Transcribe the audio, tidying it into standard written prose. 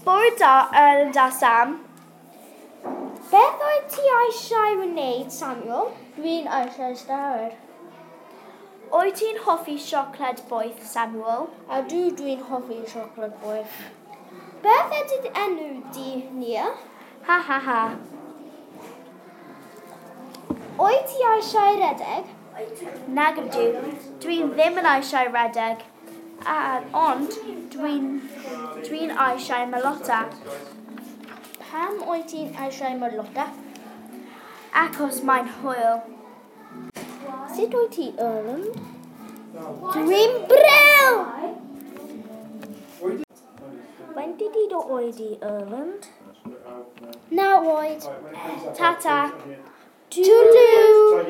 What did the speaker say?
Bore da, Erland a Sam. Beth wyt ti eisiau wneud, Samuel? Dwi'n eisiau stafell. Wyt ti'n hoffi siocled boeth, Samuel? Ydw, dwi'n hoffi siocled boeth. Beth ydy dy enw di, Nia? Ha ha ha. Wyt ti eisiau redeg? Nag ydw. Dwi'n ddim yn eisiau redeg. A, ond dwi'n dwi eisiau merlota. Pam wyt ti'n eisiau merlota? Achos mae'n hwyl. Sut wyt ti, Erland? Dwi'n brill! Faint ydy dy oed di, Erland? 9 oed. Ta-ta. Toodaloo!